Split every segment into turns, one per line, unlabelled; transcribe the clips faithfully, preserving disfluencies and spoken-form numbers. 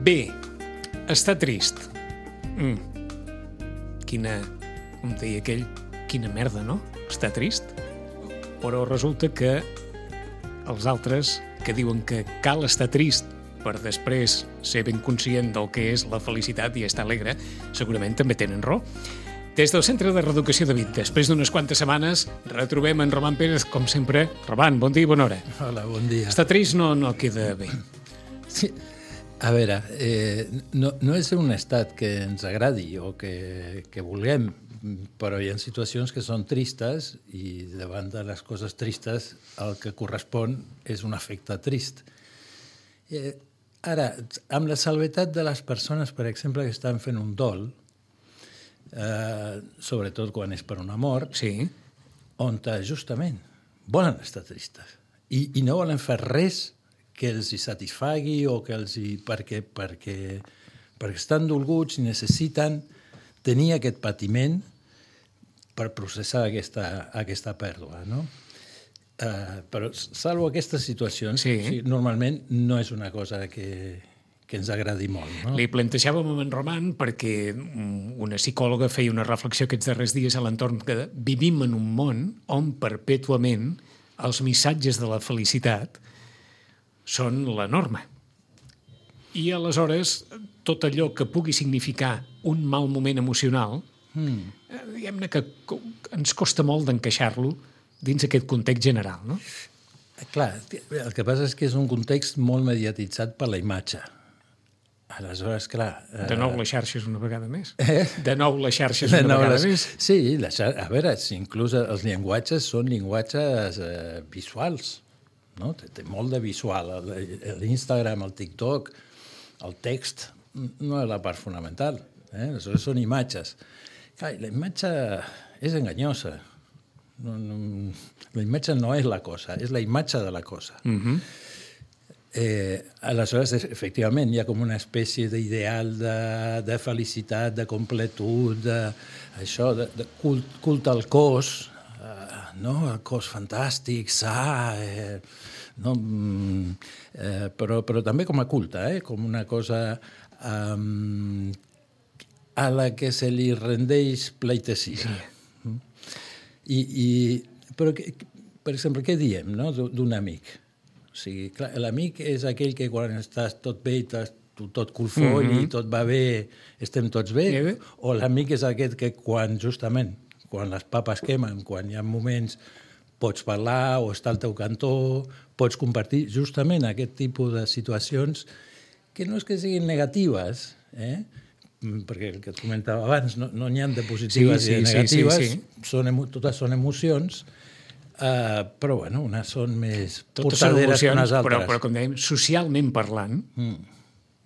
Bé, està trist. Mm. Quina, com deia aquell, quina merda, no? Està trist. Però resulta que els altres que diuen que cal estar trist per després ser ben conscient del que és la felicitat i estar alegre, segurament també tenen raó. Des del Centre de Reeducació de Vic, després d'unes quantes setmanes, retrobem en Roman Pérez, com sempre. Roman, bon dia i bona hora.
Hola, bon dia.
Estar trist no, no queda bé.
Sí. A veure, eh, no, no és un estat que ens agradi o que, que vulguem, però hi ha situacions que són tristes i davant de les coses tristes el que correspon és un afecte trist. Eh, ara, amb la salvetat de les persones, per exemple, que estan fent un dol, eh, sobretot quan és per una mort,
sí.
on justament volen estar tristes i, i no volen fer res que els hi satisfagui o que els hi... perquè, perquè, perquè estan dolguts i necessiten tenir aquest patiment per processar aquesta, aquesta pèrdua, no? Uh, però, salvo aquestes situacions,
sí.
o sigui, normalment no és una cosa que, que ens agradi molt, no?
Li plantejàvem a en Roman perquè una psicòloga feia una reflexió aquests darrers dies a l'entorn que vivim en un món on perpètuament els missatges de la felicitat són la norma. I aleshores, tot allò que pugui significar un mal moment emocional, mm. diguem-ne que ens costa molt d'encaixar-lo dins aquest context general, no?
Clar, el que passa és que és un context molt mediatitzat per la imatge. Aleshores, clar...
De nou les xarxes una vegada més.
Eh?
De nou les xarxes una vegada les... més.
Sí, les xar... a veure, si inclús els llenguatges són llenguatges eh, visuals, no? Té, té molt de visual. L'Instagram, el TikTok, el text, no és la part fonamental. Eh? Aleshores són imatges. Clar, la imatge és enganyosa. No, no, la imatge no és la cosa, és la imatge de la cosa.
Mhm.
Eh, aleshores, efectivament, hi ha com una espècie d'ideal de, de felicitat, de completud, de, això, de, de cult, culte al cos, eh, no? El cos fantàstic, sa, eh, no? eh, però, però també com a culte, eh? Com una cosa eh, a la que se li rendeix pleitessia. Sí. I, i, però, per exemple, què diem, no? D'un amic? O sigui, clar, l'amic és aquell que quan estàs tot bé, estàs tot colfoll mm-hmm. i tot va bé, estem tots bé,
bé.
O l'amic és aquest que quan, justament, quan les papes quemen, quan hi ha moments, pots parlar o estar al teu cantó, pots compartir justament aquest tipus de situacions que no és que siguin negatives, eh? Perquè el que et comentava abans, no, no n'hi ha de positives sí, sí, i de negatives, sí, sí, sí. Són, totes són emocions, Uh, però, bueno, unes són més
totes
portaderes
són emocions,
que unes altres.
Però, però, com dèiem, socialment parlant, mm.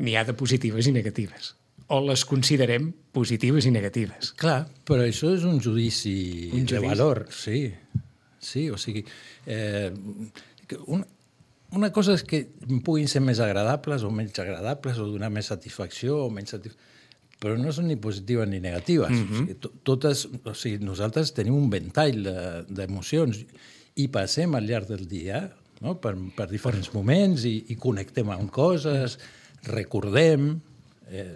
n'hi ha de positives i negatives. O les considerem positives i negatives.
Clar, però això és un judici, un judici? de valor, sí. Sí, o sigui... Eh, una, una cosa és que puguin ser més agradables o menys agradables, o donar més satisfacció o menys satisfacció, però no són ni positives ni negatives. Mm-hmm. O sigui, totes, o sigui, nosaltres tenim un ventall d'emocions i passem al llarg del dia, no? per, per diferents moments i, i connectem amb coses, recordem... Eh,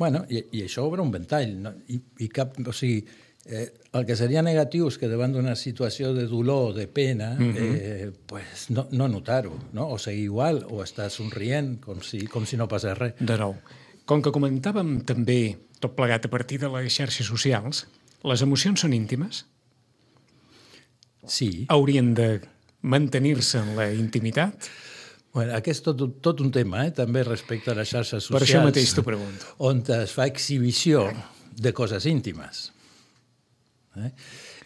bueno, i, i això obre un ventall. No? I, i cap, o sigui, eh, el que seria negatiu és que davant d'una situació de dolor, de pena, mm-hmm. eh, pues no, no notar-ho, no? O seguir igual, o estar somrient com si, com si no passés res.
De nou. Com que comentàvem també, tot plegat a partir de les xarxes socials, les emocions són íntimes?
Sí.
Haurien de mantenir-se en la intimitat?
Bueno, aquest és tot, tot un tema, eh? També respecte a les xarxes socials.
Per això mateix t'ho pregunto.
On es fa exhibició de coses íntimes. Eh?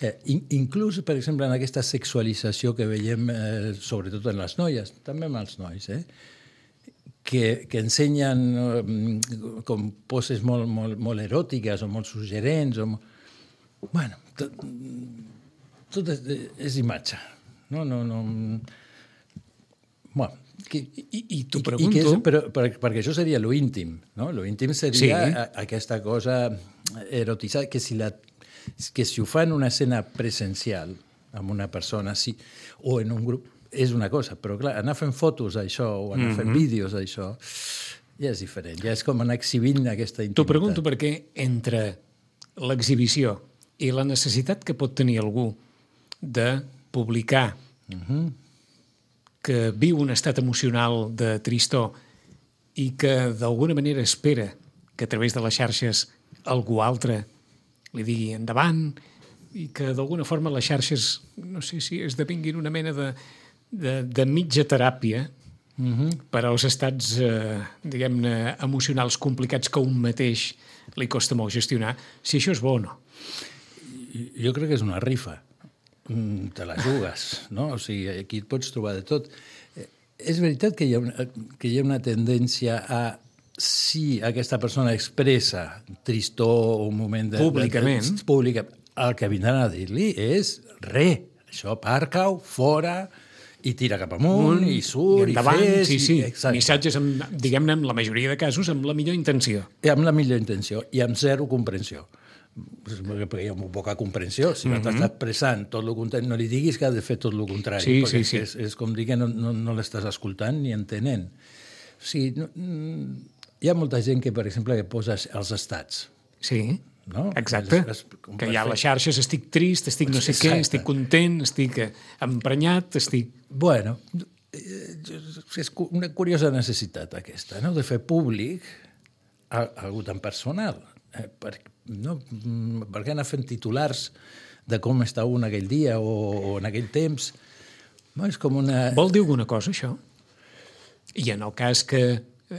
Eh, in, inclús, per exemple, en aquesta sexualització que veiem, eh, sobretot en les noies, també amb els nois, eh? Que, que ensenyen uh, com poses molt, molt, molt eròtiques o molt suggerents. O molt... Bueno, tot, tot és, és imatge. No, no, no... Bueno, que,
I, i t'ho pregunto...
I que és, però, per, perquè això seria lo íntim, no? Lo íntim seria sí. a, aquesta cosa erotitzada, que si, la, que si ho fa en una escena presencial amb una persona, sí, o en un grup, és una cosa, però clar, anar fent fotos d'això o anar fent mm-hmm. vídeos d'això ja és diferent, ja és com anar exhibint aquesta intimitat.
T'ho pregunto perquè entre l'exhibició i la necessitat que pot tenir algú de publicar uh-huh. que viu un estat emocional de tristor i que d'alguna manera espera que a través de les xarxes algú altre li digui endavant i que d'alguna forma les xarxes, no sé si esdevinguin una mena de, de, de mitja teràpia uh-huh. per als estats, eh, diguem-ne, emocionals complicats que un mateix li costa molt gestionar, si això és bo o no.
Jo crec que és una rifa. Te la jugues, no? O sigui, aquí et pots trobar de tot. És veritat que hi ha una, que hi ha una tendència a, si aquesta persona expressa tristor o un moment de...
Públicament.
De, de, pública, el que vindran a dir-li és re, això aparca-ho, fora, i tira cap amunt, un, i surt, i,
endavant,
i fes...
Sí, sí,
i,
missatges, amb, diguem-ne, en la majoria de casos, amb la millor intenció.
I amb la millor intenció, i amb zero comprensió. Perquè hi ha molt poca comprensió. Si no mm-hmm. t'estàs expressant tot el contrari, no li diguis que ha de fer tot el contrari,
sí,
perquè
sí, sí.
És, és com dir que no, no, no l'estàs escoltant ni entenent. O sigui, no, hi ha molta gent que, per exemple, que posa els estats.
Sí,
no?
Exacte. És, és, que hi ha les xarxes, estic trist, estic no sé Exacte. Què, estic content, estic emprenyat, estic...
Bueno, és una curiosa necessitat aquesta, no?, de fer públic algú tan personal. Eh, per, no, per què anar fent titulars de com està un aquell dia o, o en aquell temps? No, és com una...
Vol dir alguna cosa, això? I en el cas que,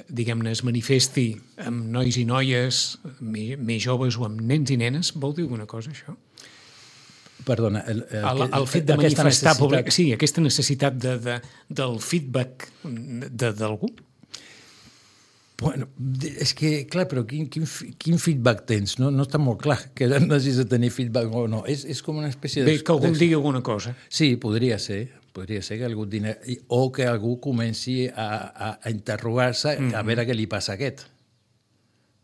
diguem-ne, es manifesti amb nois i noies, més, més joves o amb nens i nenes, vol dir alguna cosa, això?
Perdona, el, el,
el, el fet de manifestar necessitat... públic, sí, aquesta necessitat de, de, del feedback d'algú.
Bueno, és que, clar, però quin, quin, quin feedback tens? No, no està molt clar que necessites de tenir feedback o no. És, és com una espècie de...
Bé, que algú em digui alguna cosa.
Sí, podria ser. Podria ser que algú digui... O que algú comenci a, a, a interrogar-se mm-hmm. a veure què li passa a aquest.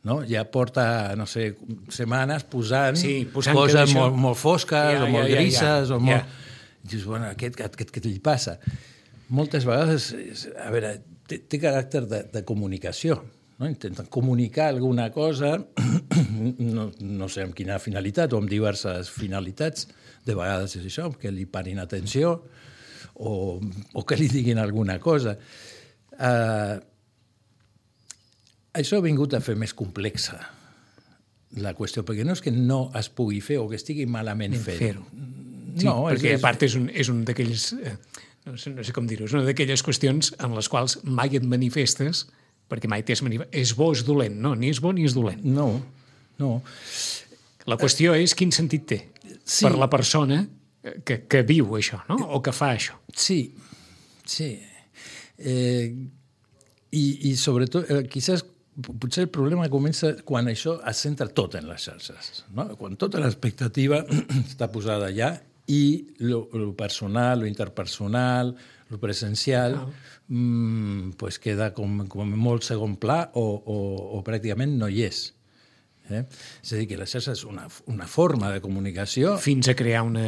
No? Ja porta, no sé, setmanes posant,
sí, posant
coses
això...
molt, molt fosques ja, o molt ja, grises ja, ja. o molt...
Ja.
Dius, bueno, aquest, aquest, què li passa? Moltes vegades, a veure... Té, té caràcter de, de comunicació, no? Intenten comunicar alguna cosa, no, no sé amb quina finalitat o amb diverses finalitats, de vegades és això, que li parin atenció o, o que li diguin alguna cosa. Uh, això ha vingut a fer més complexa la qüestió, perquè no és que no es pugui fer o que estigui malament fet.
Fer-ho. Sí, no, perquè és, a part és un, és un d'aquells... Eh, No sé, no sé com dir-ho, és una d'aquelles qüestions en les quals mai et manifestes, perquè mai t'has manifestat. És bo o és dolent? No, ni és bo ni és dolent.
No, no.
La qüestió és quin sentit té sí. per la persona que, que viu això, no? O que fa això.
Sí, sí. Eh, i, I sobretot, eh, quizás, potser el problema comença quan això es centra tot en les xarxes, no? Quan tota l'expectativa està posada allà i lo, lo personal, lo interpersonal, lo presencial, ah. mmm, pues queda com, com molt segon pla o, o, o pràcticament no hi és. Eh? És a dir, que la xarxa és una, una forma de comunicació...
Fins a crear una,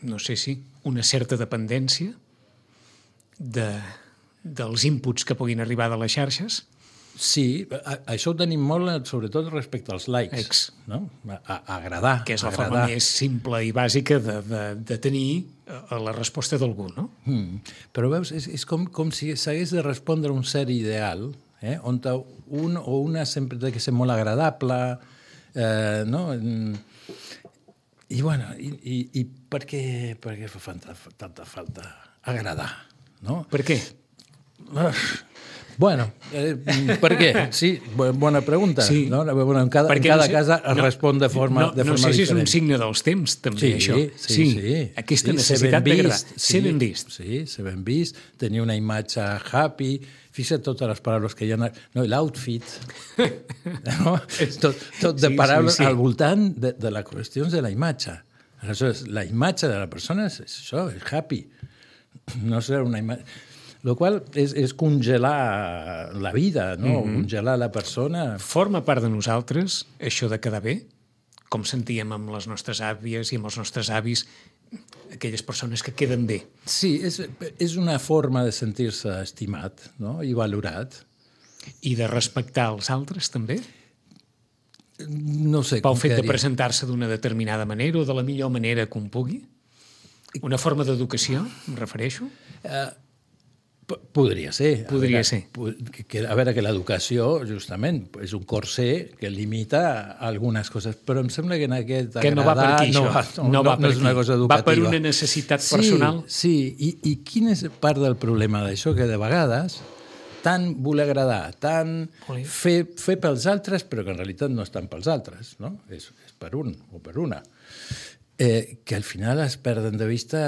no sé si, una certa dependència de, dels inputs que puguin arribar de les xarxes.
Sí, a, això ho tenim molt, sobretot respecte als likes.
Ex.
No? A, a agradar.
Que és la
agradar.
forma més simple i bàsica de, de, de tenir la resposta d'algú, no?
Mm. Però veus, és, és com, com si s'hagués de respondre a un cert ideal, eh? On un o una sempre té que ser molt agradable, eh, no? I, bueno, i, i, i per què, per què fa tanta, tanta falta agradar, no?
Per què?
Uh, Bueno, eh, per què? Sí, bona pregunta. Sí. No? Bueno, en cada, en cada no sé, casa es no, respon de forma,
no,
de forma
no sé
diferent.
si és un signe dels temps, també,
sí,
això.
Sí, sí, sí.
Aquesta
sí,
necessitat d'agradar.
Sí,
ser ben vist.
Sí, ser ben vist, tenir una imatge happy, fixa't totes les paraules que hi ha... No, l'outfit, no? tot, tot de
sí,
paraules
sí, sí.
al voltant de, de les qüestions de la imatge. Aleshores, la imatge de la persona és això, és happy. No serà una imatge... Lo qual és, és congelar la vida, no? Mm-hmm. Congelar la persona.
Forma part de nosaltres, això de quedar bé, com sentíem amb les nostres àvies i amb els nostres avis, aquelles persones que queden bé.
Sí, és, és una forma de sentir-se estimat, no? I valorat.
I de respectar els altres, també?
No sé.
Pel fet de presentar-se d'una determinada manera o de la millor manera que un pugui? Una forma d'educació, em refereixo?
Uh, podria ser.
Podria
a veure,
ser.
Que, a veure, que l'educació, justament, és un corser que limita algunes coses, però em sembla que en aquest
que no va per aquí,
no,
això.
No, no,
va
no, no és una cosa educativa.
Va per una necessitat
sí,
personal?
Sí, i, i quin és part del problema d'això? Que de vegades tant voler agradar, tant fer, fer pels altres, però que en realitat no és tant pels altres, no? És, és per un o per una. Eh, que al final es perden de vista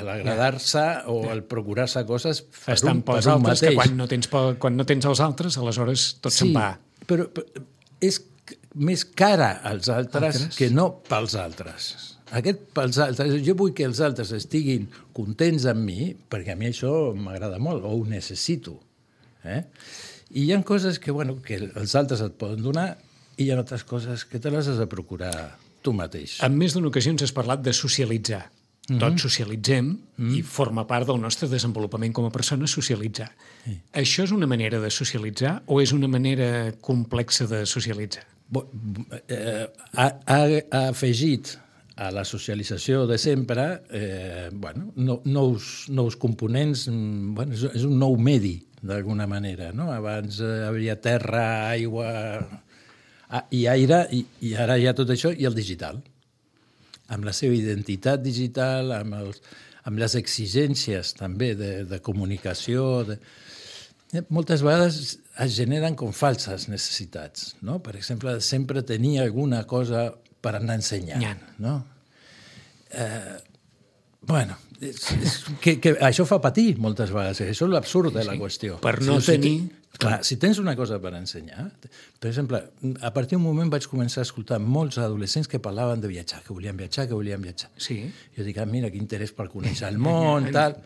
l'agradar-se o el procurar-se coses per
Estan
un, per
pels
un
altres,
mateix.
que quan no, tens, quan no tens els altres, aleshores tot
sí,
se'n va.
Però, però és més cara als altres, altres que no pels altres. Aquest pels altres, jo vull que els altres estiguin contents amb mi, perquè a mi això m'agrada molt, o ho necessito. Eh? I hi ha coses que, bueno, que els altres et poden donar i hi ha altres coses que te les has de procurar tu mateix.
En més d'una ocasió ens has parlat de socialitzar. Mm-hmm. Tots socialitzem mm-hmm. i forma part del nostre desenvolupament com a persona socialitzar. Sí. Això és una manera de socialitzar o és una manera complexa de socialitzar?
Bo, eh, ha, ha, ha afegit a la socialització de sempre eh, bueno, no, nous, nous components, bueno, és, és un nou medi, d'alguna manera. No? Abans eh, hi havia terra, aigua i aire, i, i ara hi ha tot això, i el digital. Amb la seva identitat digital, amb, els, amb les exigències també de, de comunicació. De... Moltes vegades es generen com falses necessitats. No? Per exemple, sempre tenir alguna cosa per anar ensenyant. No? Eh, bueno, és, és, que, que això fa patir moltes vegades. Això és l'absurd de la sí, qüestió.
Per no si tenir...
Clar, si tens una cosa per ensenyar... Per exemple, a partir d'un moment vaig començar a escoltar molts adolescents que parlaven de viatjar, que volien viatjar, que volien viatjar.
Sí.
Jo dic, ah, mira, quin interès per conèixer el món, tal...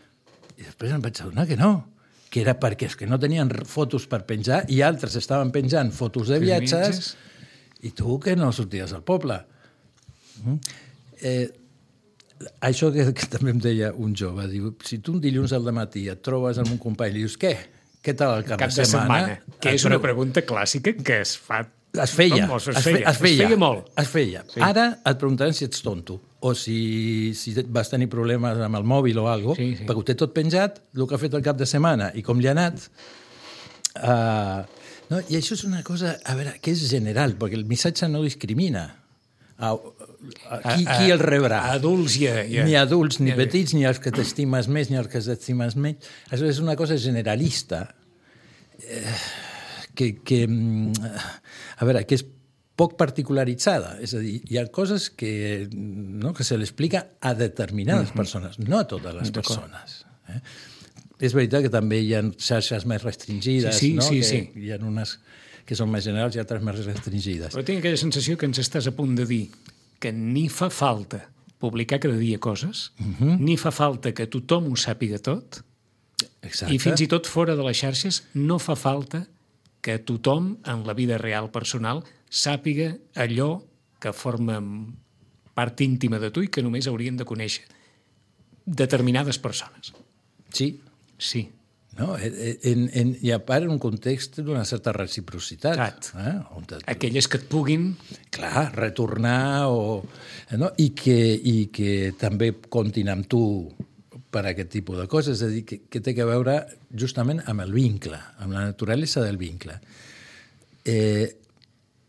I després em vaig adonar que no, que era perquè és que no tenien fotos per penjar i altres estaven penjant fotos de viatges i tu que no sorties al poble. Eh, això que, que també em deia un jove, diu, si tu un dilluns al matí et trobes amb un company i dius, què? Què tal el cap,
cap de, de setmana? setmana? Que és una pregunta clàssica que es fa...
Es feia.
No, es,
es,
feia.
es feia.
Es feia molt.
Es feia. Sí. Ara et preguntaran si ets tonto o si, si vas tenir problemes amb el mòbil o alguna cosa, sí, sí. perquè ho té tot penjat, el que ha fet el cap de setmana i com li ha anat. Uh, no? I això és una cosa, a veure, que és general, perquè el missatge no discrimina. A, a, a, qui, qui el rebrà?
A adults i a... I a
ni adults, ni a petits, ni els que t'estimes més, ni els que t'estimes menys. Això és una cosa generalista eh, que, que, a veure, que és poc particularitzada. És a dir, hi ha coses que, no, que se l'explica a determinades mm-hmm. persones, no a totes les persones. Eh? És veritat que també hi ha xarxes més restringides,
sí, sí,
no?
sí,
que
sí.
hi ha unes que són més generals i altres més restringides.
Però tinc aquella sensació que ens estàs a punt de dir que ni fa falta publicar cada dia coses, uh-huh. ni fa falta que tothom ho sàpiga tot, exacte. I fins i tot fora de les xarxes no fa falta que tothom en la vida real personal sàpiga allò que forma part íntima de tu i que només haurien de conèixer determinades persones.
Sí.
Sí.
No? En, en, I a part en un context d'una certa reciprocitat. Eh?
Et... Aquelles que et puguin...
Clar, retornar o... No? I, que, i que també comptin amb tu per a aquest tipus de coses. És a dir, que, que té a veure justament amb el vincle, amb la naturalesa del vincle. Eh,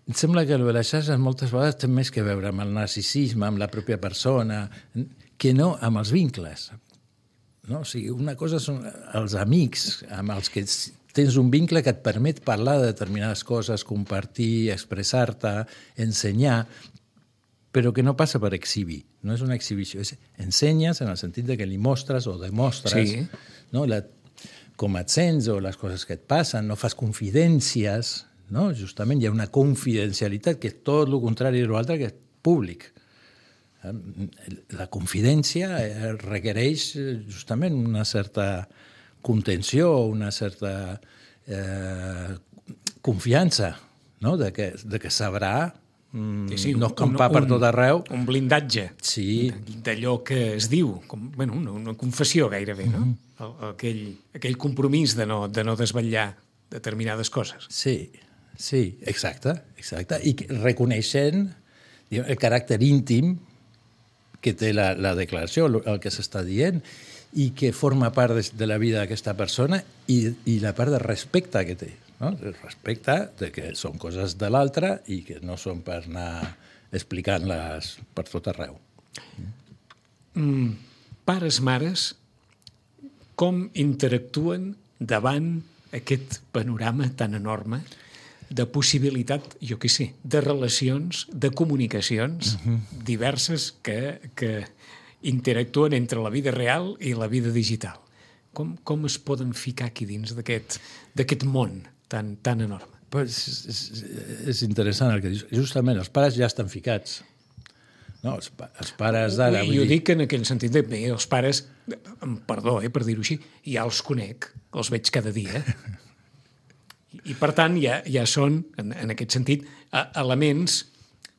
em sembla que les xarxes moltes vegades té més que veure amb el narcisisme, amb la pròpia persona, que no amb els vincles. No? O sigui, una cosa són els amics amb els que tens un vincle que et permet parlar de determinades coses, compartir, expressar-te, ensenyar, però que no passa per exhibir. No és una exhibició, és ensenyes en el sentit de que li mostres o demostres sí. no? La, com et sents o les coses que et passen, no fas confidències, no? Justament hi ha una confidencialitat que és tot el contrari de l'altre, que és públic. La confidència requereix justament una certa contenció, una certa eh, confiança, no? de, que, de que sabrà mm, sí, sí, no escampar un, per tot arreu.
Un blindatge
sí.
d'allò que es diu, com, bueno, una, una confessió gairebé, no? Mm-hmm. Aquell, aquell compromís de no, de no desvetllar determinades coses.
Sí, sí, exacte, exacte. I reconeixent diguem, el caràcter íntim que té la, la declaració, el que s'està dient, i que forma part de, de la vida d'aquesta persona i, i la part de respecte que té. No? El respecte de que són coses de l'altre i que no són per anar explicant-les per tot arreu.
Mm, pares, mares, com interactuen davant aquest panorama tan enorme de possibilitat, jo què sé, de relacions, de comunicacions uh-huh. diverses que, que interactuen entre la vida real i la vida digital. Com, com es poden ficar aquí dins d'aquest d'aquest món tan, tan enorme?
Pues és, és interessant el que dius. Justament, els pares ja estan ficats. No, els, pa els pares d'ara...
Jo dir... dic en aquell sentit de, bé, els pares, perdó, eh, per dir-ho així, ja els conec, els veig cada dia. I, per tant, ja, ja són, en, en aquest sentit, elements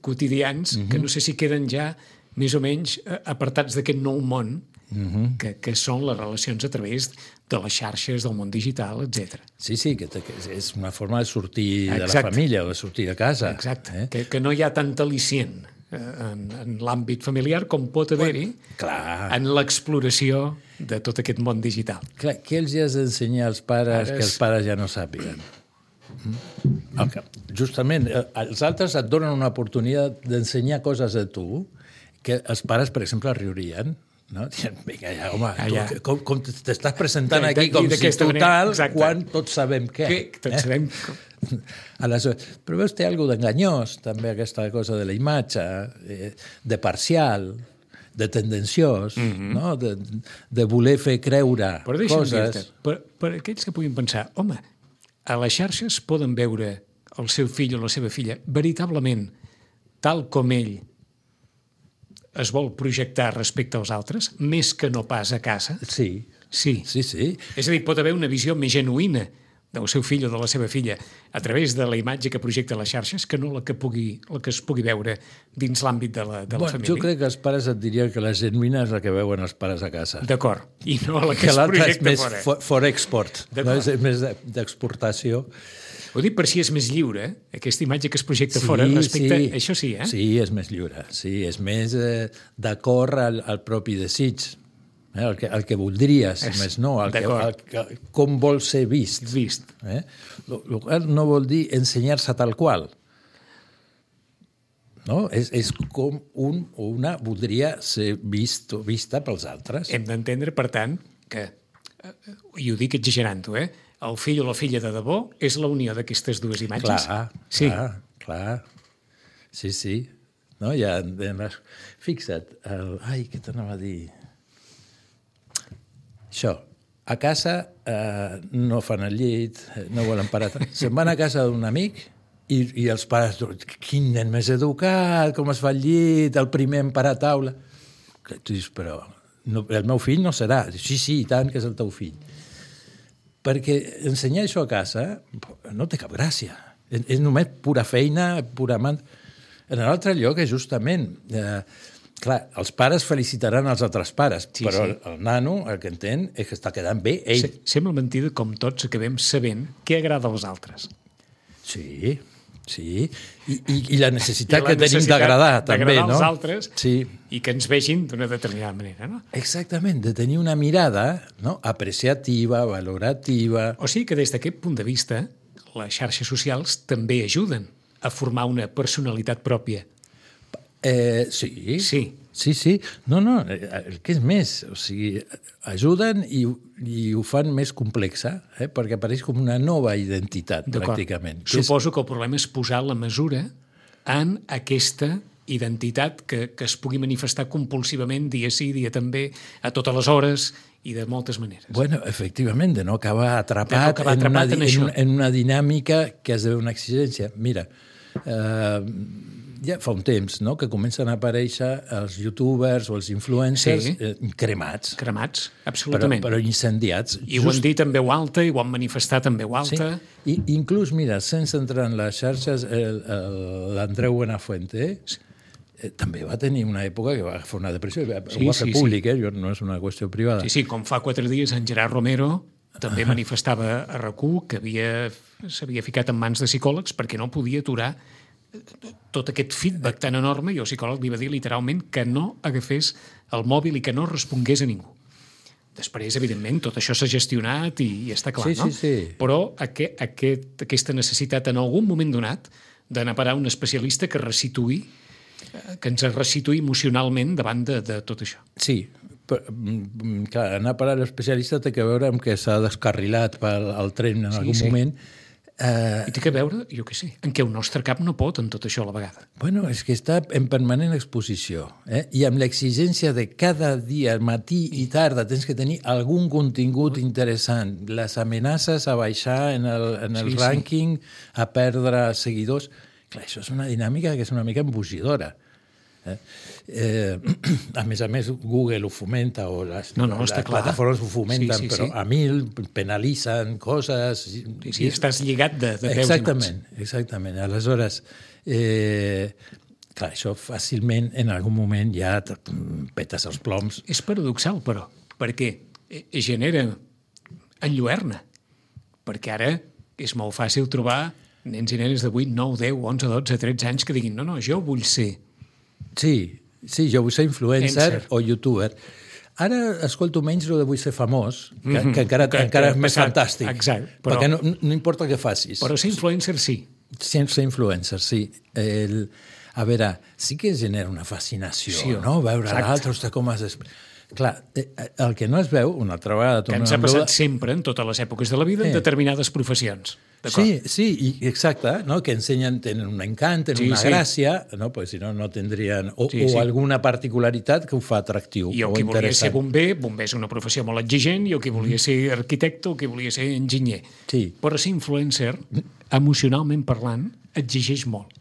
quotidians uh-huh. que no sé si queden ja més o menys apartats d'aquest nou món uh-huh. que, que són les relacions a través de les xarxes, del món digital, etcètera.
Sí, sí, que, que és una forma de sortir Exacte. de la família o de sortir de casa.
Exacte, eh? que, que no hi ha tant al·licient en, en l'àmbit familiar com pot haver-hi
bueno,
en l'exploració de tot aquest món digital.
Clar, què els has d'ensenyar als pares, pares que els pares ja no sàpiguen? Okay. Justament, els altres et donen una oportunitat d'ensenyar coses a tu que els pares, per exemple, riurien. No? Dient, vinga, ja, home,
ah,
tu, com, com t'estàs presentant ja, aquí com si total, quan tots sabem què.
Que tots eh? sabem...
Aleshores, però veus, té alguna d'enganyós, també, aquesta cosa de la imatge, eh, de parcial, de tendenciós, mm-hmm. no? de, de voler fer creure
però
coses.
Per, per aquells que puguin pensar, home, a les xarxes poden veure el seu fill o la seva filla veritablement tal com ell es vol projectar respecte als altres, més que no pas a casa?
Sí.
Sí.
Sí, sí.
És a dir, pot haver una visió més genuïna del seu fill o de la seva filla a través de la imatge que projecta a les xarxes que no la que, pugui, la que es pugui veure dins l'àmbit de la, de la
bueno,
família.
Jo crec que els pares et dirien que la genuïna és la que veuen els pares a casa.
D'acord. I no la que, que es projecta
és més
fora.
For, for export. No? És més d'exportació.
Ho dic per si és més lliure, aquesta imatge que es projecta sí, fora respecte...
Sí.
Això sí, eh?
Sí, és més lliure. Sí, és més eh, d'acord al, al propi desig. Eh? El, que, el que voldries, és, més no. El que, el que, com vol ser vist.
Vist.
Eh? Lo, lo qual no vol dir ensenyar-se tal qual. No? És, és com un o una voldria ser vist o vista pels altres.
Hem d'entendre, per tant, que, i ho dic exagerant-ho, eh? El fill o la filla de debò és la unió d'aquestes dues imatges.
Clar,
sí.
clar, clar. Sí, sí. No, ja, fixa't, el, ai, què t'anava a dir? Això, a casa eh, no fan el llit, no volen parar. Se'n van a casa d'un amic i, i els pares, quin nen més educat, com es fa el llit, el primer en parar a taula. Tu dius, però no, el meu fill no serà. Sí, sí, i tant que és el teu fill. Perquè ensenyar això a casa no té cap gràcia. És, és només pura feina, pura man... En l'altre lloc és justament... Eh, clar, els pares felicitaran els altres pares, sí, però sí. El, el nano el que entén és que està quedant bé ell.
Se, sembla mentida com tots acabem sabent què agrada als altres.
Sí, sí. I, i, i la necessitat I la que tenim d'agradar, també, no?
D'agradar als altres
sí.
I que ens vegin d'una determinada manera, no?
Exactament, de tenir una mirada, no? Apreciativa, valorativa...
O sigui que des d'aquest punt de vista les xarxes socials també ajuden a formar una personalitat pròpia.
Eh, sí.
Sí.
Sí, sí. No, no, el que és més, o sigui, ajuden i, i ho fan més complexa, eh? Perquè apareix com una nova identitat, pràcticament.
Suposo que el problema és posar la mesura en aquesta identitat que, que es pugui manifestar compulsivament dia sí, dia també, a totes les hores i de moltes maneres.
Bueno, efectivament, de no acabar atrapat,
no acabar
en,
atrapat
una,
en,
en, en una dinàmica que esdevé una exigència. Mira, eh, ja fa un temps, no?, que comencen a aparèixer els youtubers o els influencers sí. eh, cremats.
Cremats, absolutament.
Però, però incendiats.
I Just... ho han dit en veu alta, i ho han manifestat en veu alta.
Sí. I, inclús, mira, sense entrar en les xarxes, l'Andreu Buenafuente sí. eh, també va tenir una època que va fer una depressió. Sí, ho va fer sí, públic, sí. eh? No és una qüestió privada.
Sí, sí, com fa quatre dies en Gerard Romero també manifestava a R A C U que havia, s'havia ficat en mans de psicòlegs perquè no podia aturar tot aquest feedback tan enorme, i el psicòleg li va dir literalment que no agafés el mòbil i que no respongués a ningú. Després, evidentment, tot això s'ha gestionat i, i està clar,
sí,
no?
Sí, sí.
Però aquest, aquest, aquesta necessitat en algun moment donat d'anar a parar un especialista que resituï, que ens resituï emocionalment davant de, de tot això.
Sí, però, clar, anar a parar l'especialista té que veure amb que s'ha descarrilat pel el tren en sí, algun sí. moment.
Uh, I té que veure, jo què sé, en què el nostre cap no pot en tot això a la vegada.
Bueno, és que està en permanent exposició, eh? I amb l'exigència de cada dia, matí i tarda, tens que tenir algun contingut interessant. Les amenaces a baixar en el, en el sí, rànquing, sí. a perdre seguidors. Clar, això és una dinàmica que és una mica embogidora. Eh? Eh, a més a més, Google ho fomenta, o les,
no, no,
les plataformes ho fomenten, sí, sí, però sí. a mil penalitzen coses...
Sí, sí, estàs lligat de, de peus
exactament, i mans. Exactament. Aleshores, eh, clar, això fàcilment en algun moment ja petes els ploms.
És paradoxal, però, perquè genera enlluerna, perquè ara és molt fàcil trobar nens i nenes de vuit, nou, deu, onze, dotze, tretze anys que diguin no, no, jo vull ser...
Sí, sí, jo vull ser influencer o youtuber. Ara escolto menys el de vull ser famós, que, mm-hmm. que encara, que, encara que, és més exacte, fantàstic.
Exacte. Però,
perquè no, no importa què facis.
Però ser influencer sí.
Ser influencer, sí. El, a veure, sí que genera una fascinació, sí, no? Veure l'altre, ostres, com has... Clar, el que no es veu, una altra vegada...
Que ens ha passat sempre, en totes les èpoques de la vida, en eh. determinades professions.
Sí, sí, i exacte, no? Que ensenyen, tenen un encant, tenen sí, una sí. gràcia, no? Pues, si no, no tindrien... O, sí, sí. o alguna particularitat que ho fa atractiu.
I el que volia ser bomber, bomber és una professió molt exigent, i el que volia ser arquitecte, el que volia ser enginyer.
Sí.
Però ser influencer, emocionalment parlant, exigeix molt.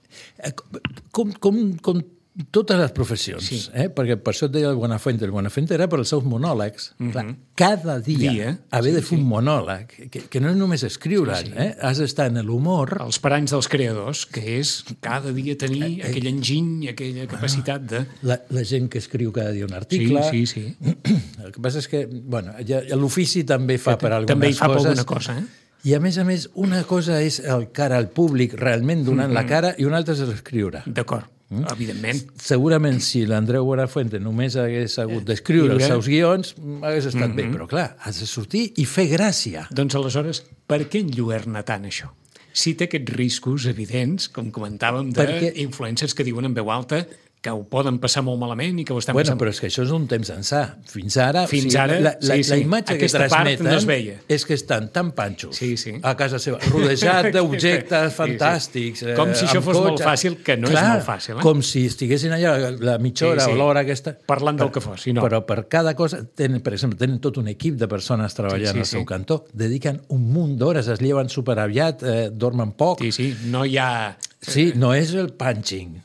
Com, com, com totes les professions, sí. eh? Perquè per això et deia el Buenafuente. El Buenafuente era per als seus monòlegs. Mm-hmm. Clar, cada dia, dia haver sí, de fer sí. un monòleg, que, que no és només escriure, sí, sí. Eh? Has d'estar en l'humor...
Els paranys dels creadors, que és cada dia tenir eh, eh, aquell enginy, aquella capacitat de...
La, la gent que escriu cada dia un article...
Sí, sí, sí.
El que passa és que, bueno, ja, l'ofici també fa per algunes
també hi fa
coses.
Per alguna cosa, eh?
I, a més a més, una cosa és el cara al públic, realment donant mm-hmm. la cara, i una altra és l'escriure.
D'acord. Mm? Evidentment.
Segurament, si l'Andreu Buenafuente només hagués hagut d'escriure els seus guions, hagués estat mm-hmm. bé, però clar, has de sortir i fer gràcia.
Doncs aleshores, per què enlluerna tant això? Si té aquests riscos evidents, com comentàvem, d'influencers que diuen en veu alta que ho poden passar molt malament i que ho estan
bueno,
passant...
Però és que això és un temps ençà. Fins ara,
Fins
o sigui,
ara
la, la,
sí, sí.
la imatge
Aquesta
que transmeten
no es veia.
És que estan tan panxos
sí, sí.
a casa seva, rodejat d'objectes fantàstics.
Sí, sí. Com si això fos cotxe. Molt fàcil, que no
Clar,
és molt fàcil. Eh?
Com si estiguessin allà la mitja hora sí, sí. o l'hora aquesta...
Parlant del que fos, si no.
Però per cada cosa, tenen, per exemple, tenen tot un equip de persones treballant sí, sí, al seu sí. cantó, dediquen un munt d'hores, es lleven superaviat, eh, dormen poc...
Sí, sí, no hi ha...
Sí, no és el punching...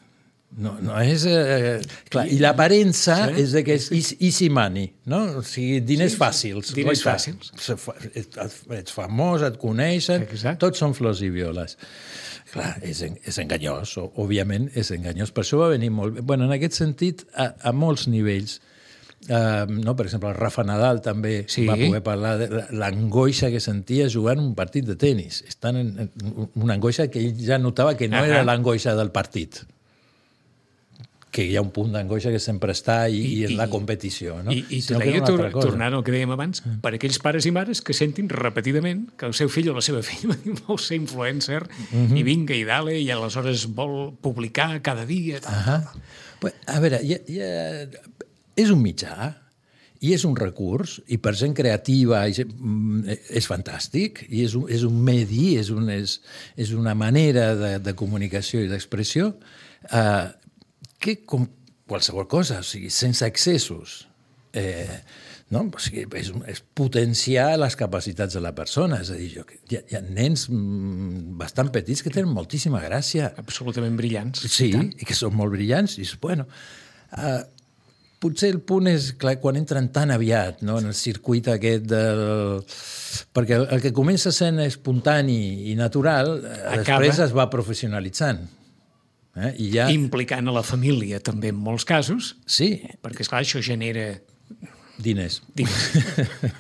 No, no és... Eh, clar, I l'aparença sí, és de que és sí. easy money, no? O sigui, diners sí, fàcils.
Diners fàcils.
Ets famós, et coneixen,
Exacte.
Tots són flors i violes. Clar, és, és enganyós, òbviament és enganyós. Per això va venir molt bé. Bueno, en aquest sentit, a, a molts nivells, Uh, no? Per exemple, el Rafa Nadal també sí. va poder parlar de l'angoixa que sentia jugant un partit de tenis. Estan en, en una angoixa que ell ja notava que no uh-huh. era l'angoixa del partit, que hi ha un punt d'angoixa que sempre està i, I, i en la competició. No?
I, i t'ho deia, tor tornant al que dèiem abans, mm. per aquells pares i mares que sentin repetidament que el seu fill o la seva filla vol ser influencer mm-hmm. i vinga i dale, i aleshores vol publicar cada dia. Tal, tal, tal.
Pues, a veure, ja, ja, és un mitjà i és un recurs, i per gent creativa és fantàstic, i és un, és un medi, és, un, és, és una manera de, de comunicació i d'expressió eh, que, com qualsevol cosa, o sigui, sense excessos, eh, no? O sigui, és, és potenciar les capacitats de la persona. És a dir, jo, hi, ha, hi ha nens bastant petits que tenen moltíssima gràcia.
Absolutament brillants.
Sí, i, i que són molt brillants. I, bueno, eh, potser el punt és, clar, quan entren tan aviat, no?, en el circuit aquest del... Perquè el, el que comença sent espontani i natural, Acaba. després es va professionalitzant. Eh? I ja...
Implicant a la família, també, en molts casos.
Sí.
Perquè, esclar, això genera...
Diners.
Diners.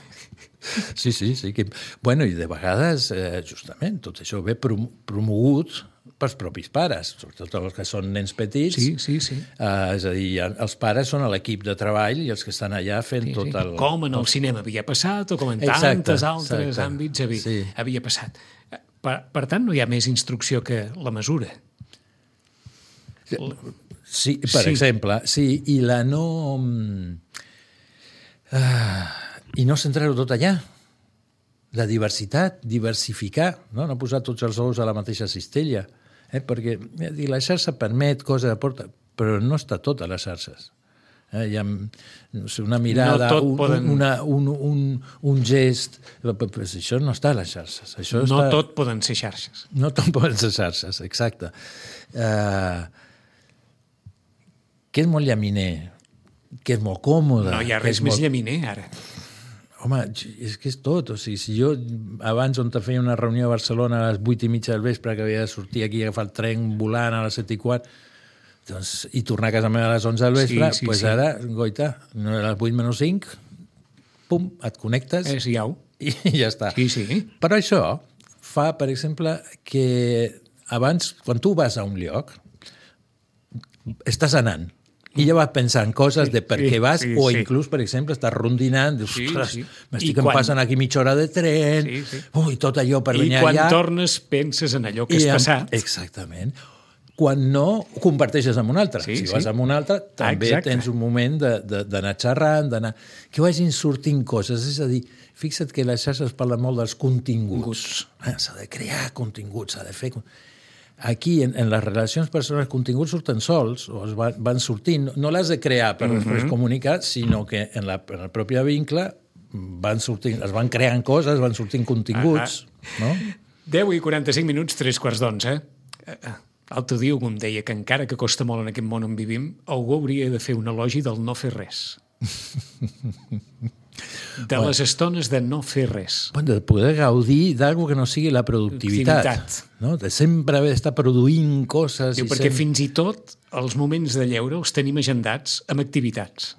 Sí, sí, sí. Que... Bueno, i de vegades, eh, justament, tot això ve prom promogut pels propis pares, sobretot els que són nens petits.
Sí, sí, sí.
Eh, és a dir, els pares són l'equip de treball i els que estan allà fent sí, tot
sí.
el...
Com en el cinema havia passat o com en
exacte,
tantes altres
exacte.
àmbits havia,
sí.
havia passat. Per, per tant, no hi ha més instrucció que la mesura.
Sí, per sí. exemple, sí, i la no... Uh, I no centrar-ho tot allà. La diversitat, diversificar, no, no posar tots els ous a la mateixa cistella. Eh? Perquè dir, la xarxa permet coses, aporta, però no està tot a les xarxes. Eh? Hi ha no sé, una mirada,
no
un,
poden...
una, un, un, un gest... Pues això no està a les xarxes. Això
no
està...
tot poden ser xarxes.
No tot poden ser xarxes, exacte. Uh, que és molt llaminer, que és molt còmode...
No hi ha res més
molt...
llaminer, ara.
Home, és que és tot. O sigui, si jo abans on te feia una reunió a Barcelona a les vuit i mitja del vespre, que havia de sortir aquí a agafar el tren volant a les set i quart, doncs, i tornar a casa meva a les onze del vespre, doncs sí, sí, pues sí. Ara, goita, no a les vuit menys cinc, pum, et connectes
és iau.
I ja està.
Sí, sí.
Però això fa, per exemple, que abans, quan tu vas a un lloc, estàs anant, i ja vas pensant coses de per què vas, sí, sí, o inclús, per exemple, estàs rondinant, dius, sí, ostres, sí. m'estic quan... passant aquí mitja hora de tren, sí, sí. Ui, tot allò per venir allà...
I quan allà... tornes penses en allò que has
amb...
passat.
Exactament. Quan no, ho comparteixes amb un altre. Sí, si sí. vas amb un altre, també exacte. Tens un moment d'anar xerrant, d'anar... que vagin sortint coses. És a dir, fixa't que les xarxes parlen molt dels continguts. Ah, s'ha de crear continguts, s'ha de fer... Aquí, en, en les relacions personals, els continguts surten sols, o es van, van sortint. No l'has de crear per després uh-huh. comunicar, sinó que en, la, en el propi vincle van sortint, es van creant coses, van sortint continguts. Uh-huh. No?
deu i quaranta-cinc minuts, tres quarts d'onze. L'altre dia algú em deia que encara que costa molt en aquest món on vivim, algú hauria de fer un elogi del no fer res. De bueno. Les estones de no fer res.
Bueno, de poder gaudir d'alguna que no sigui la productivitat. No? De sempre haver d'estar produint coses.
Diu,
i
perquè
sempre...
fins i tot els moments de lleure els tenim agendats amb activitats.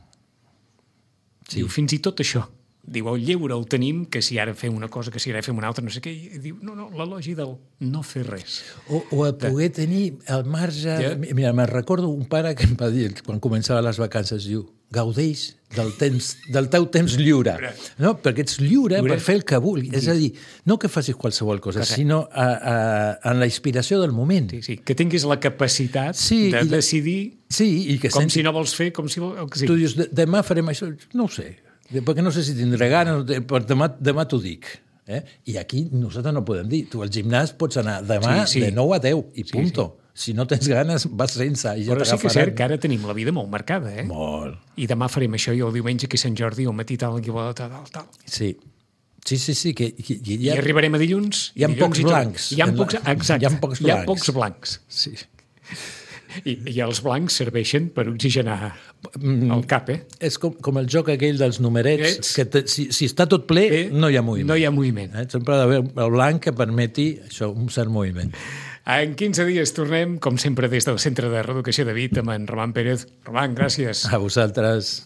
Sí. Diu, fins i tot això. Diu, el lleure el tenim, que si ara fem una cosa, que si ara fem una altra, no sé què. I diu, no, no, l'elogi del no fer res.
O, o el poder de... tenir el marge... Ja. Mira, me'n recordo un pare que em va dir, quan començava les vacances, diu, gaudeix del, temps, del teu temps lliure. No? Perquè ets lliure, lliure per fer el que vulguis. És a dir, no que facis qualsevol cosa, correcte. Sinó a, a, en la inspiració del moment.
Sí, sí. Que tinguis la capacitat sí, de i... decidir
sí, i que
com
sensi...
si no vols fer, com si vols... Sí.
Tu dius, demà farem això, no ho sé, perquè no sé si tindré ganes, però demà, demà t'ho dic. Eh? I aquí nosaltres no podem dir. Tu al gimnàs pots anar demà sí, sí. de nou a deu i sí, punto. Sí. Si no tens ganes, vas sense. I ja
però sí que és cert que ara tenim la vida molt marcada, eh?
Molt.
I demà farem això, i el diumenge que és Sant Jordi, al matí tal, tal, tal, tal.
Sí. Sí, sí, sí. Que, que, que
ha... I arribarem a dilluns.
Hi ha pocs blancs.
Hi ha pocs, exacte.
Hi ha pocs blancs.
Hi ha pocs blancs.
Sí.
I, I els blancs serveixen per oxigenar el cap, eh?
És com, com el joc aquell dels numerets, Ets. que te, si, si està tot ple, eh? no hi ha moviment.
No hi ha moviment.
Eh? Sempre ha d'haver el blanc que permeti això, un cert moviment.
En quinze dies tornem, com sempre, des del Centre de Reeducació de Vic amb en Roman Pérez. Roman, gràcies.
A vosaltres.